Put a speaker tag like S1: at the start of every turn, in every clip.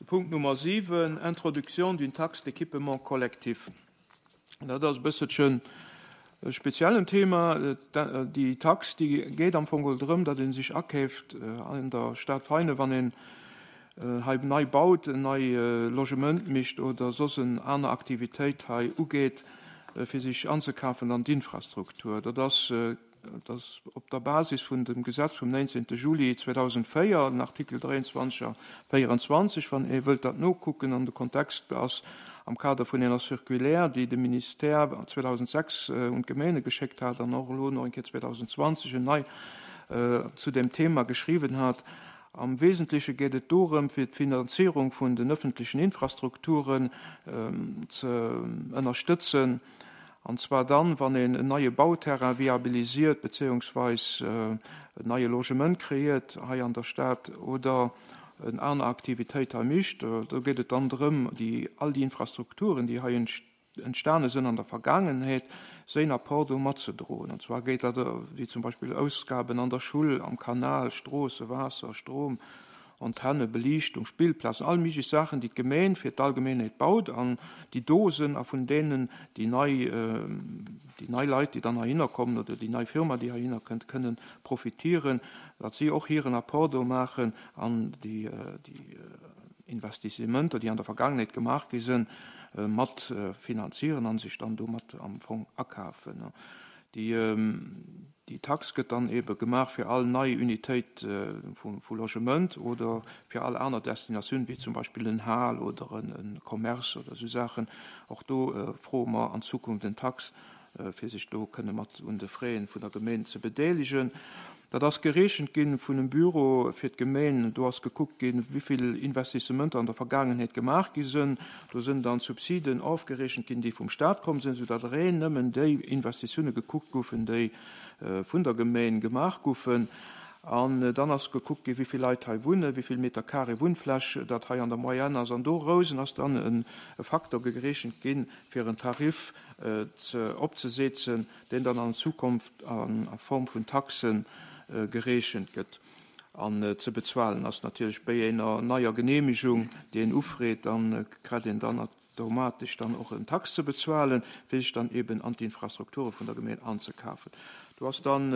S1: Punkt Nummer 7, Introduction d'une taxe d'équipement collectif. Dat ass e bësselchen e speziellen Thema. Déi Tax, déi geet am Fong geholl drëm, datt ee sech akeeft an der Stad Veinen, wann een hei nei baut, en nei Logement mécht oder soss en aner Aktivitéit hei ugeet, fir sech anzekafen an d'Infrastruktur. Dat ass Dat ass op der Basis vun dem Gesetz vum 19. Juli 2004, den Artikel 23 a 24, wann ee wëllt dat nokucken. An de Kontext ass am Kader vun enger Circulaire, déi de Ministère 2006 un d'Gemeene geschéckt hat an och elo nach eng Kéier 2020 en nei zu deem Thema geschriwwen hat. Am Wesentleche geet et dorëm, fir d'Finanzierung vun den öffentlichen Infrastrukturen ze ënnerstëtzen. An zwar dann, wann een en neie Bauterrain viabilisiert beziéungsweis en neie Logement kreéiert hei an der Stad oder en aner Aktivitéit hei mécht. Do geet et dann drëm, déi all déi Infrastrukturen, déi hei entstane sinn an der Vergaangenheet, séin Apport do matzedroen. An zwar geet dat wéi zum Beispill Ausgaben an der Schull, am Kanal, Stroosse, Waasser, Strom, Antenne, Beliichtung, Spillplazen, all méiglech Saachen, déi d'Gemeen fir d'Allgemeenheet baut an déi do sinn a vun deenen déi nei, déi nei Leit, déi dann heihinner kommen oder déi nei Firma, déi heihinner kënnt, kënnen profitieren, datt si och hiren Apport do maachen an déi, déi Investissementer, déi an der Vergaangenheet gemaach gi sinn, mat finanzieren a sech dann domat am Fong akafen. Déi Déi Tax gëtt dann ebe gemaach fir all nei Unitéit vu Logement oder fir all aner Destinatioun, wéi zum Beispill en Hal oder e Commerce oder esou Saachen. Och do froe mer an Zukunft en Tax, fir sech do kënne mat un de Frais vun der Gemeen ze bedeelegen. Dat ass gereechent gi vun em Büro fir d'Gemeen. Do ass gekuckt ginn, wéi vill Investissementer an der Vergaangenheet gemaach gi sinn. Do sinn dann d'Subsiden ofgerechent ginn, déi vum Stat komm sinn, soudatt reen nëmmen déi Investitioune gekuckt goufen, déi vun der Gemeen gemaach goufen. An dann ass gekuckt ginn, wéi vill Leit hei wunnen, wéi vill Meter carré Wunnfläch dat hei an der Moyenne ass. An dorousen ass dann e Faktor gerechent ginn, fir en Tarif opzesetzen, deen dann an Zukunft a Form vun Taxe gerechent gëtt an ze bezuelen ass. Natierlech béi ener neier Genehmigung, déi een ufreet, dann kret een dann automatesch dann och en Tax ze bezuelen, fir sech dann eben an d'Infrastrukture vun der Gemeen anzekafen. Do ass dann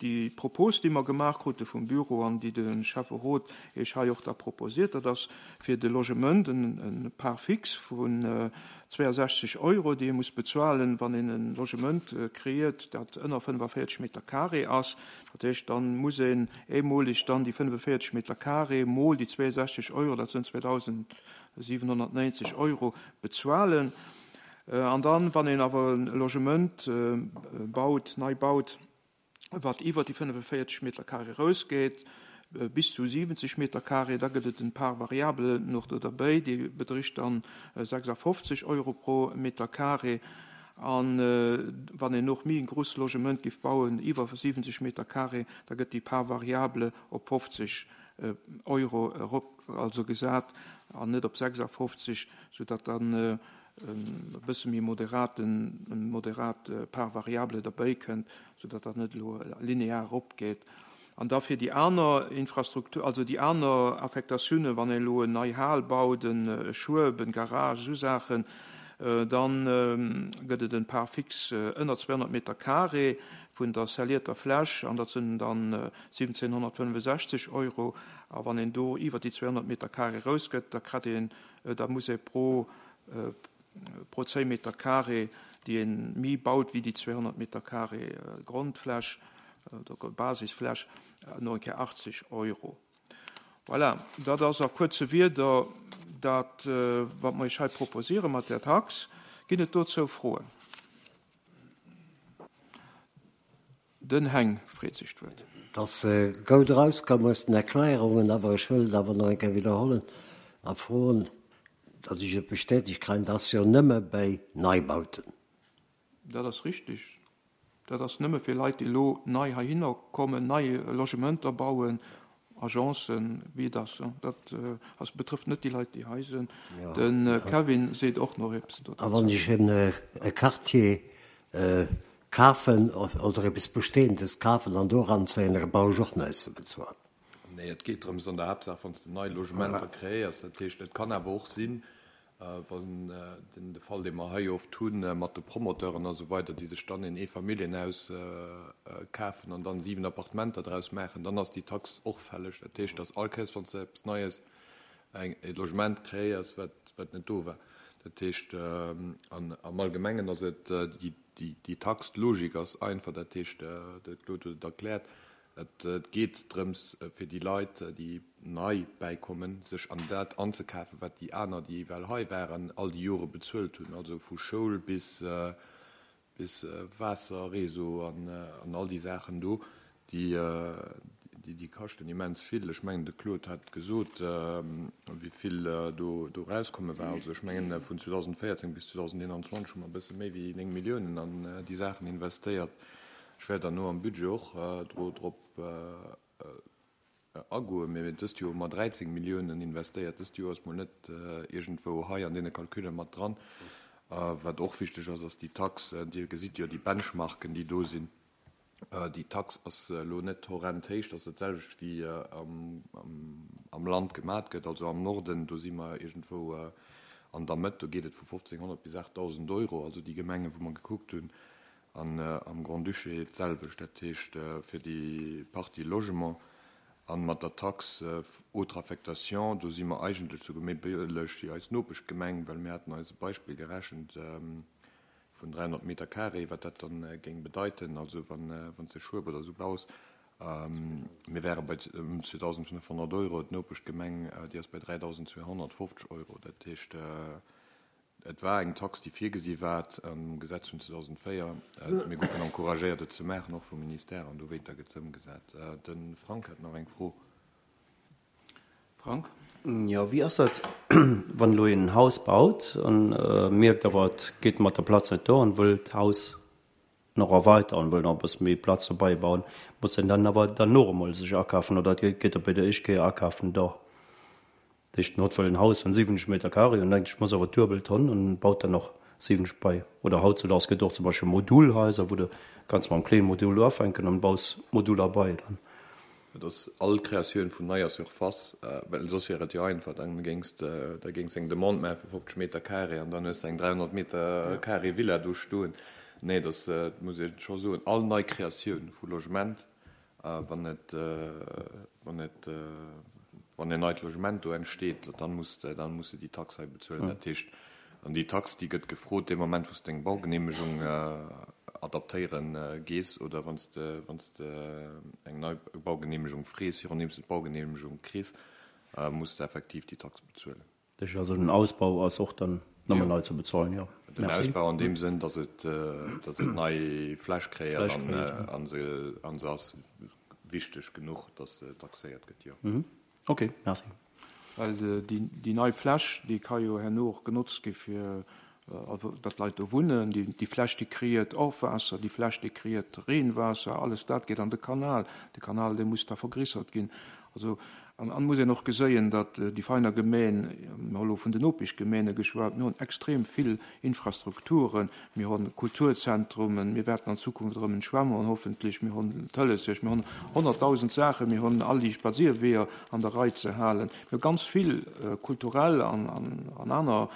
S1: déi Propos, déi mer gemaach krute vum Büro an déi de Schäfferot Iech hei och da proposiert, dat ass fir de Logement en Part fixe vun 62 Euro, déi ee muss bezuelen, wann een e Logement kreéiert, dat ënner 45 Meter carré ass. Dat heescht, da muss een eemoleg dann déi 45 Meter carré mol déi 62 Euro, dat sënn 2.790 Euro, bezuelen. An dann, wann een awer e Logement baut, nei baut, wat iwwer déi 45 Meter carré erausgeet, bis zu 70 Meter carré, da gëtt et en Part variable nach do derbäi, déi bedricht dann 56 Euro pro Meter carré. A wann een och méi en grousst Logement géif bauen, iwwer 70 Meter carré, da gëtt déi Part variable op 50 Euro erop, also gesat, an net op 56, soudatt dann e bësse méi moderaten, moderat Part variable derbäi kënnt, soudatt dat net elo linear eropgeet. An da fir déi aner Infrastruktur, also déi aner Affektatiounen, wann een elo en nei Hal baut, e Schueb, en Garage, esou Saachen, da gëtt et en Part fixe ënner 200 Meter carré vun der scellierter Fläch, an dat sinn dann 1.765 Euro. A wann een do iwwer déi 200 Meter carré erausgëtt, da kritt een, da muss ee pro pro 10 Meter carré, déi ee méi baut wéi déi 200 Meter carré Grondfläch oder Basisfläch, no eng Kéier 80 Euro. Voilà, dat ass a kuerze Wierder dat, wat mer Iech hei proposiere mat där Tax. Ginn et dozou Froen? Den Heng freet sech d'Wuert.
S2: Et ass goud erauskomm aus den Erkläerungen, awer ech wëll et awer nach eng Kéier widderhollen a froen, datt ech et bestätegt kréien, dat ass jo nëmme bäi Neibauten.
S1: Dat ass richtig. Dat ass nëmme fir Leit, déi elo nei heihinner kommen, nei Logementer bauen, Agencen, wéi et ass. Dat ass, betrëfft net déi Leit, déi hei sinn. De Kevin seet och nach eppes
S2: dozou. A wann ech e Quartier kafen oder eppes Bestehendes kafen an do eranzéien, da brauch ech och näischt ze bezuelen.
S3: Nee, et geet drëms an der Haaptsaach, wann s de nei Logementer kreéiers. Dat heescht, et kann awer och sinn, wann den de Fall, dee mer hei oft hunn, mat de Promoteuren a sou weider, déi sech dann een Eefamilljenhaus kafen an dann 7 Appartementer draus maachen, dann ass déi Tax och fälleg. Dat heescht, dass all Kéiers, wann s de eppes Neies, eng e Logement kreéiers, wat wat net do war. Dat heescht, an am Allgemengen ass et déi déi Tax, d'Logik ass einfach, dat heescht, de Claude huet et erkläert, Et geet drëms, fir déi Leit, déi nei bäikommen, sech an dat anzekafen, wat déi aner, déi ewell hei waren, all déi Jore bezuelt hunn, also vu Schoul bis Waasserreseau an all déi Saachen do, déi kaschten immens vill. Ech mengen, de Claude hat gesot, wéi vill do erauskomme war. Also ech mengen, vun 2014 bis 2021 hu mer e bësse méi wéi 9 Milliounen an déi Saachen investéiert. Ech wäert dann no am Budget och drop agoen, mee dëst Joer hu mer 13 Milliounen investéiert. Dëst Joer ass mol net iergendwou hei an deene Calculle mat dran. Wat och wichteg ass, ass déi Tax. Dir gesitt jo déi Benchmarken, déi do sinn. Déi Tax ass elo net horrend héich. Dat ass dat selwecht, wéi am Land gemat gëtt, also am Norden. Do si mer iergendwou an der Mëtt. Do geet et vu 1.500 bis 8.000 Euro, also déi Gemengen, wou mer gekuckt hunn. An am Grand-Duché d'selwecht, dat heescht fir déi Partie Logement. A mat der Taxe autre affectation, do si mer eigentlech souguer méi bëlleg wéi eis Nopeschgemeng, well mir haten eis e Beispill gerechent vun 300 Meter carré, wat dat dann géing bedeiten, also wann s de Schueb oder esou baus. Mir wäre bei ëm 2.500 Euro, d'Nopeschgemeng, déi ass bei 3.250 Euro. Dat heescht, Et war eng Tax, déi virgesi war am Gesetz vun 2004. Mir goufen encouragéiert, et ze maachen, och vum Ministère, an dowéinter gëtt se ëmgesat. De Frank hat nach eng Fro.
S4: Frank? Jo, wéi ass dat, wann elo een en Haus baut an mierkt awer, et geet mat der Platz net duer an wëll d'Haus nach erweiteren, wëll nach e bësse méi Platz dobäi bauen, muss en dann awer dann och emol sech akafen oder geet dat bei der éischt Kéier akafen da? Dat heescht, en huet wëll en Haus vun 70 Meter carré an denkt, ech muss awer d'duebel Tonn an baut dann och 70 bei. Oder hautzudaags gëtt och zum Beispill Modulhaiser, wou de kanns mam klénge Modul ufänken an baus Moduler bei dann.
S3: Et ass all Kreatioun vun neier Surface, well soss wier et jo einfach, dann géings de, da géings eng Demande maache vu 50 Meter carré an dann hues de eng 300 Meter carré Villa do stoen. Nee, et ass, et muss ee scho soen, all nei Kreatioun vu Logement Wann et, wann et, wann en neit Logement do entsteet, dann muss de, dann muss de déi Tax hei bezuelen. Dat heescht, an déi Tax, déi gëtt gefrot dee Moment, wou s de deng Baugenehmegung adaptéiere gees oder wann s de, wann s de eng nei Baugenehmegung frees, virun deem s de d'Baugenehmegung kriss, muss de effektiv déi Tax bezuelen.
S4: Dat heescht also, den Ausbau ass och dann nëmmen nei ze bezuelen, jo.
S3: Den Ausbau an deem Sënn, datt et, datt et nei Fläch kréien an se, an se ass wichteg genuch, datt se taxéiert gëtt, jo.
S4: Ok, merci.
S1: Well déi, déi nei Fläch, déi ka jo herno och genotzt gi fir, also datt d'Leit do wunnen. Déi, déi Fläch, déi kriert Ofwaasser, déi Fläch, déi kriert Reenwaasser, alles dat geet an de Kanal. De Kanal, dee muss da vergrissert ginn. Also, an an muss een och geséien, datt déi Veiner Gemeen, mir hu lo vun den Nopeschgemeene geschwat, mir hunn extrem vill Infrastrukturen, mir hunn Kulturzentrumen, mir wäerten an Zukunft erëm en Schwämm hunn hoffentlech, mir hunn d'Hëllesierg, mir hunn 100.000 Saachen, mir hunn all déi Spadséierweeër an der Rei ze halen, mir hu ganz vill kulturell an an aner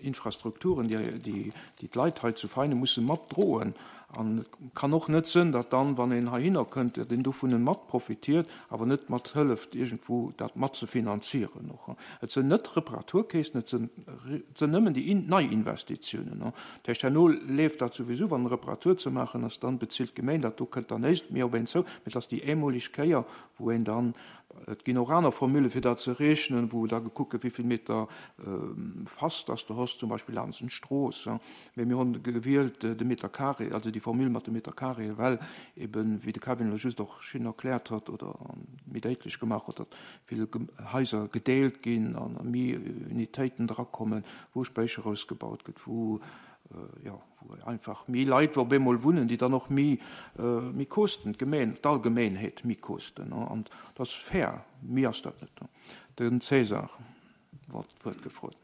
S1: Infrastrukturen, déi déi d'Leit hei zu Veinen musse matdroen. An et kann och net sënn, datt dann, wann een heihinner kënnt, datt een dovun mat profitiert, awer net mat hëlleft, iergendwou dat mat ze finanzieren och. Et sënn net Reparaturkeesen, et sënn, et sënn nëmmen déi Neiinvestitiounen. Dat heescht, herno leeft dat souwisou, wann eng Reparatur ze maachen ass, dann bezilt d'Gemeng dat, do kënnt dann néischt méi op een zou, mee et ass déi eemoleg Kéier, wou een dann, et ginn och aner Formule fir dat ze rechnen, wou da gekuckt gëtt, wéi vill Meter Fass dass de hos, zum Beispill laanscht d'Strooss. Mee mir hunn gewielt de Meter carré, also déi Formule mat de Meter carré, well eben, wéi de Kevin elo just och schön erkläert huet oder méi déitlech gemaach huet, datt vill Haiser gedeelt ginn an méi Unitéiten drakommen, wou Spéicher ausgebaut gëtt, wou, jo, wou einfach méi Leit op eemol wunnen, déi dann och méi, méi kosten, d'Gemeen, d'Allgemeenheet méi kosten. An dat ass fair, méi ass dat net. Den César huet d'Wuert gefrot.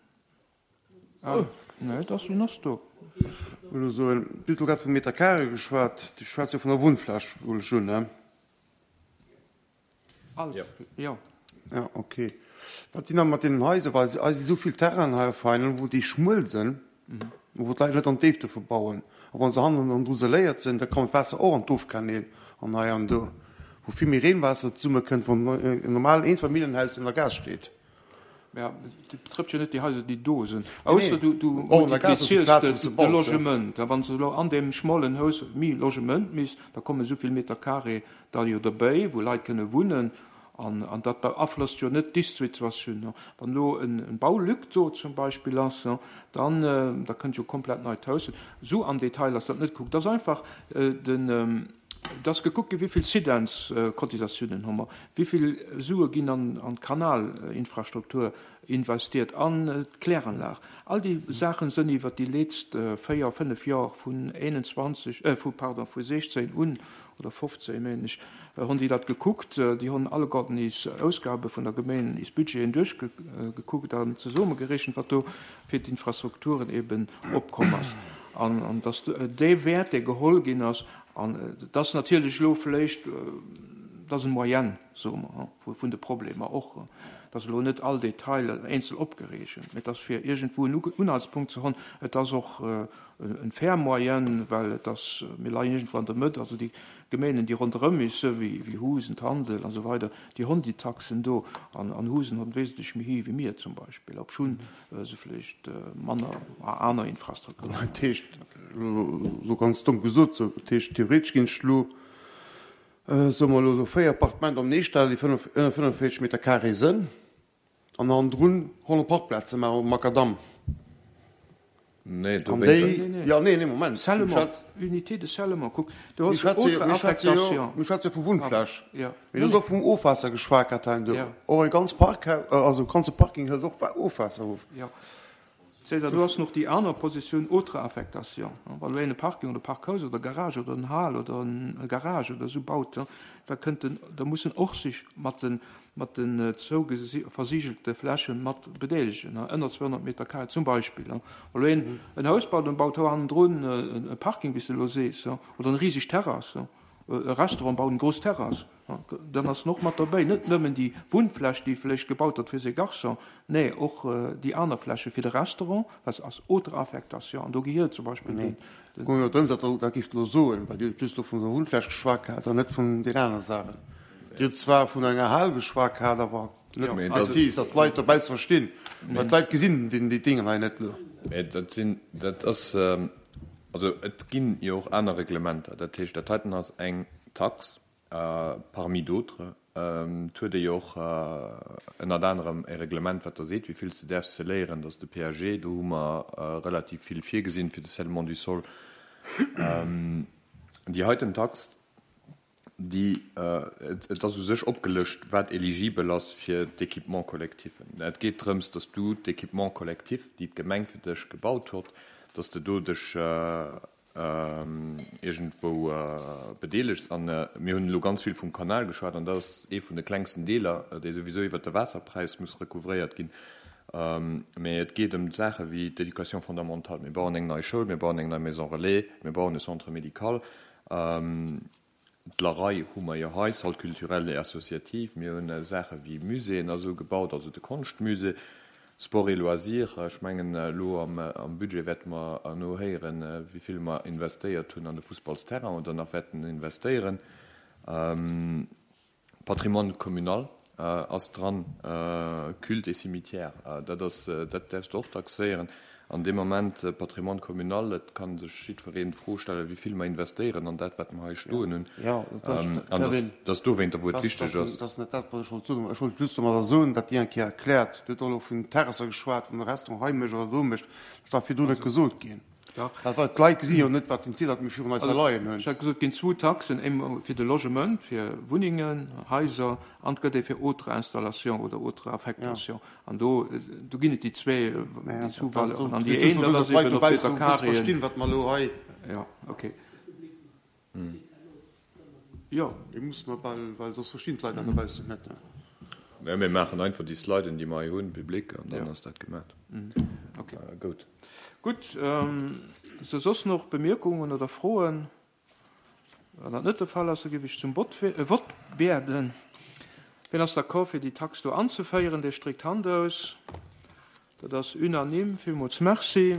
S1: Ah, nee, et ass, en ass do.
S5: Ech wëll elo soen, Dir hutt elo grad vun de Meter carré geschwat. Dir schwätzt jo vun der Wunnfläch, huelen ech un, ne?
S1: All, jo.
S5: Ja, okay. Wat sinn da mat deenen Haiser, well hei si sou vill Terrainen hei op Veinen, wou déi schmuel sinn, wou d'Leit net an d'Déift dierfe bauen. A wa se hannen an dru seléiert sinn, da kommt d'Waasser och an d'Ofkanäl an hei an do, wou vill méi Reenwaasser zesummekënnt, wann en normalen Eefamilljenhaus an der Gaass steet.
S1: Mä dat betrëfft jo net déi Haiser, déi do sinn, ausser du multipliziers de Logement. A wann s de elo an deem schmolen Haus méi Logement misst, da kommen esou vill Meter carré da jo derbäi, wou Leit kënne wunnen. An dat beaflosst jo net d'Ist-Situatioun. Wann elo e Baulück do zum Beispill ass, dann da kënnt jo komplett neit Haus. Esou am Detail ass dat net gekuckt. Et ass einfach den, et ass gekuckt ginn, wéi vill Sidens-Cotisatiounen hu mer, wéi vill Sue ginn an d'Kanalinfrastruktur investiert, an d'Kläranlag. All déi Saache sënn iwwert déi leetzt 4, 5 Joer vun 21, vu, pardon, vu 16 un oder 15, meen ech, hunn déi dat gekuckt. Déi hunn alleguerten is Ausgabe vun der Gemeen, is Budgeten duerchgekuckt an zesummegerechent, wat do fir d'Infrastrukturen eben opkomm ass. An dass dee Wäert, dee geholl ginn ass, an et ass natierlech elo vläicht, dat ass eng Moyenne, soe mer, vun de Problemer och, et ass elo net all Detail eenzel opgereechent, mä et ass fir iergendwou en Unhaltspunkt ze hunn. Et ass och en fair Moyenne, well et ass, mir leien iergendwou an der Mëtt, also déi Gemeenen, déi ronderëm is, wéi wéi Husen, Tandel an esou weider, déi honn déi Taxen do, an an Husen honn wesentlech méi héich wéi mir zum Beispill, obschunn se vläicht manner aner Infrastrukturen
S5: hunn. Dat heescht, elo ganz domm gesot, sou, dat heescht theoretesch ginn ech elo, soe mer elo, sou 4 Appartementer am Neestall, déi 45 Meter carré sënn, An hannendrun 100 Parkplaze maachen op Makadamm.
S3: Nee, do
S5: An déi, jo, nee, nee, Moment.
S1: Scellement, unité de scellement, kuck, do hues du autre affectation.
S5: Mir schwätze jo vu Wunnfläch. Mee do ass och vum Ofwaasser geschwat, Kathellen. Do och e ganz Parkhaus, also e ganze Parking hëlt och Ofwaasser of.
S1: Jo. César, do ass noch déi aner Positioun, autre affectation. Wann elo een e Parking oder e Parkhaus oder e Garage oder en Hal oder e Garage oder esou baut, da kënnt en, da muss en och sech mat de, mat den zouversigelte Fläche mat bedeelegen, ënner 200 Meter carré zum Beispill. Wann elo een en Haus baut an baut hannendrun e Parking, wéi s de elo sees, oder eng riseg Terrass, e Restaurant baut eng grouss Terrass, Dann ass en och mat derbäi, net nëmmen déi Wunnfläch, déi vläicht gebaut gëtt fir ses Garçons, nee, och déi aner Fläche fir de Restaurant, well se ass autre affectation an do gehiert zum Beispill den.
S5: Et goung jo drëms, datt Der gift elo soen, well Dir hutt just elo vun der Wunnfläch geschwat gehat an net vun den anere Saachen. Dir hutt zwar vun enger Hal geschwat gehat, awer net prezis, datt d'Leit dobausse verstinn, well d'Leit gesinn déi Déngen hei net elo.
S3: Mä dat sinn, dat ass, also et ginn jo och aner Reglementer. Dat heescht, dat heiten ass eng Tax, Parmi d'autres, et huet ee jo och ënnert anerem e Reglement, wat der seet, wéi vill s de däerfs scelléieren, dat ass de PAG. Do hu mer relativ vill virgesinn fir de Scellement du sol. Déi heiten Tax, déi, et ass u sech opgelëscht, wat eligibel ass fir d'Équipements-collectifen. Et geet drëms, dass du d'Équipements collectifs, déi d'Gemeng fir dech gebaut huet, dass de do dech iergendwou bedeelegs. A mir hunn elo ganz vill vum Kanal geschwat, an dat ass ee vun de klengsten Deeler, dee souwisou iwwert de Waasserpräis muss recouvréiert ginn. Mä et geet ëm Saache wéi d'Éducation fondamentale. Mir bauen eng nei Schoul, mir bauen eng nei Maison relais, mir bauen e Centre médical. D'Larei hu mer jo hei, Salle culturelle et associative. Mir hunn Saache wéi Muséeën a sou gebaut, also de Konschtmusée, Sport et loisirs. Ech mengen, elo am Budget wäerte mer herno héieren, wéi vill mer investéiert hunn an de Fussballsterrain oder nach wäerten investéieren. Patrimoine communal ass dran, Culte et cimetière, dat ass, dat däerfs de och taxéieren. An deem Moment, Patrimoine communal, et ka sech jiddwereen d'Fro stellen, wéi vill mer investéieren an dat, wat mer hei stoen hunn. An dat ass dowéinter, wou et wichteg ass.
S5: Dat ass net dat, wat ech wollt soen. Ech wollt just domadder soen, datt Dir eng Kéier erkläert, Dir hutt och elo vun Terrasser geschwat, wann e Restaurant hei mécht oder do mécht, dat ass virdrun net gesot ginn. Well d'Leit gesi jo net, wat den Ziel ass, dat mir virun eis leien hunn.
S1: Ech hat gesot, et ginn zwou Taxen, eemol fir de Logement, fir Wunnengen, Haiser, an et gëtt ee fir autre installation oder autre affectation. An do, do ginn et déi zwee, déi zwou Valeuren. An déi een, dat ass eben op Meter Carréen. Jo, okay.
S5: Jo. Déi musse mer bal, well soss verstinn d'Leit dat dobaussen net.
S3: Mä mir maachen einfach déi Sliden, déi mer hei hunn, public, an dann ass dat gemat.
S1: Okay. Goud. Gutt. Si soss nach Bemierkungen oder Froen? Wann dat net de Fall ass, da géif ech zum Vott bieden. Wien ass d'accord, fir déi Tax do anzeféieren? Dee stréckt d'Hand aus. Dat ass unanime. Villmools Merci.